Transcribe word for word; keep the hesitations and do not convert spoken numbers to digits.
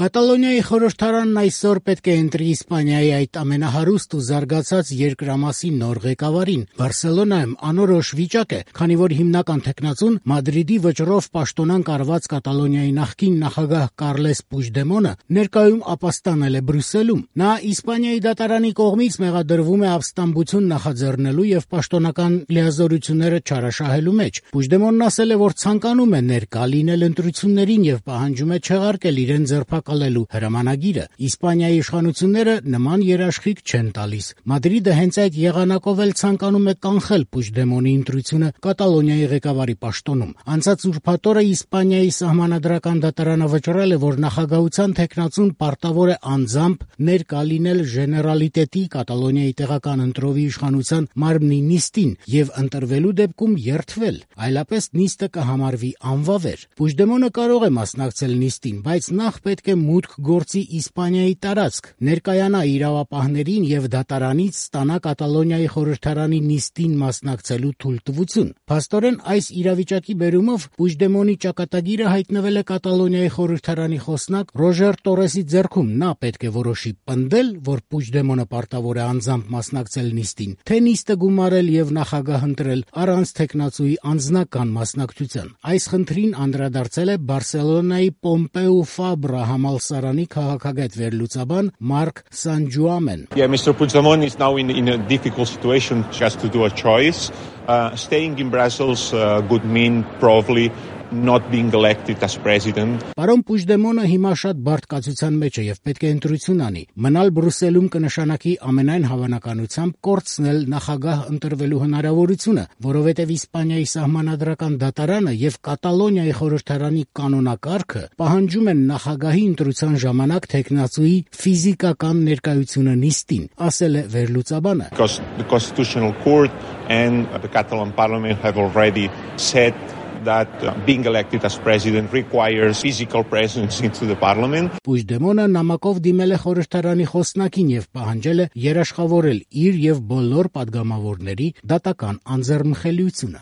Կատալոնիայի խորհրդարանն այսօր պետք է ընտրի Իսպանիայի այդ ամենահարուստ ու զարգացած երկրամասի նոր ղեկավարին։ Բարսելոնայում անորոշ վիճակ է, քանի որ հիմնական թեկնածուն Մադրիդի վճռով պաշտոնանկ արված Կատալոնիայի նախկին նախագահ Կարլես Պուժդեմոնը ներկայում ապաստանել է Բրյուսելում։ Նա Իսպանիայի դատարանի կողմից մեղադրվում է ապստամբություն նախաձեռնելու եւ պաշտոնական լիազորությունները չարաշահելու մեջ։ Պուժդեմոնն ասել է, որ ցանկանում է ներկա լինել ընտրություններին եւ պահանջում է չեղարկել իրեն ձերբակալելու հրամանագիրը։ Իսպանիայի իշխանությունները նման երաշխիք չեն տալիս։ Մադրիդը հենց այդ եղանակով էլ ցանկանում է կանխել Պուժդեմոնի ընտրությունը Կատալոնիայի ղեկավարի պաշտոնում։ Անցած ուրբաթ օրը Իսպանիայի սահմանադրական դատարանը վճռել է, որ նախագահության թեկնածուն պարտավոր է անձամբ ներկա լինել Ժեներալիտետի Կատալոնիայի տեղական ընտրովի իշխանության մարմնի նիստին եւ ընտրվելու դեպքում երդվել, այլապես նիստը կհամարվի անվավեր։ Պուժդեմոնը կարող է մասնակցել նիստին, բայց նախ պետք է մուտք գործի Իսպանիայի տարածք, ներկայանա իրավապահներին եւ դատարանից ստանա Կատալոնիայի խորհրդարանի նիստին մասնակցելու թույլտվություն։ Փաստորեն այս իրավիճակի բերումով Պուժդեմոնի ճակատագիրը հայտնվել է Կատալոնիայի խորհրդարանի խոսնակ Ռոժեր Տորեսի ձեռքում։ Նա պետք է որոշի պնդել, որ Պուժդեմոնը պարտավոր է անձամբ մասնակցել նիստին, թե նիստը գումարել եւ նախագահ ընտրել առանց թեկնածուի անձնական մասնակցության։ Այս խնդրին անդրադարձել է Բարսելոնայի Պոմպեու Ֆաբրա համալսարանի քաղաքագետ վերլուծաբան Մարկ Սանջուամեն։ Yeah, Mister Puigdemont is now in, in a difficult situation just to do a choice. Uh, staying in Brussels uh, would mean probably not being elected as president. Պարոն Պուժդեմոնը հիմա շատ բարդ կացության մեջ է եւ պետք է ընտրություն անի։ Մնալ Բրյուսելում կնշանակի ամենայն հավանականությամբ կորցնել նախագահ ընտրվելու հնարավորությունը, որովհետեւ Իսպանիայի սահմանադրական դատարանը եւ Կատալոնիայի խորհրդարանի կանոնակարգը պահանջում են նախագահի ընտրության ժամանակ թեկնածուի ֆիզիկական ներկայությունը նիստին, ասել է վերլուծաբանը։ Because the Constitutional Court and the Catalan Parliament have already said that uh, being elected as president requires physical presence into the parliament. Պուժդեմոնը նամակով դիմել է խորհրդարանի խոսնակին եւ պահանջել է երաշխավորել իր եւ բոլոր падգամավորների դատական անձեռնմխելիությունը։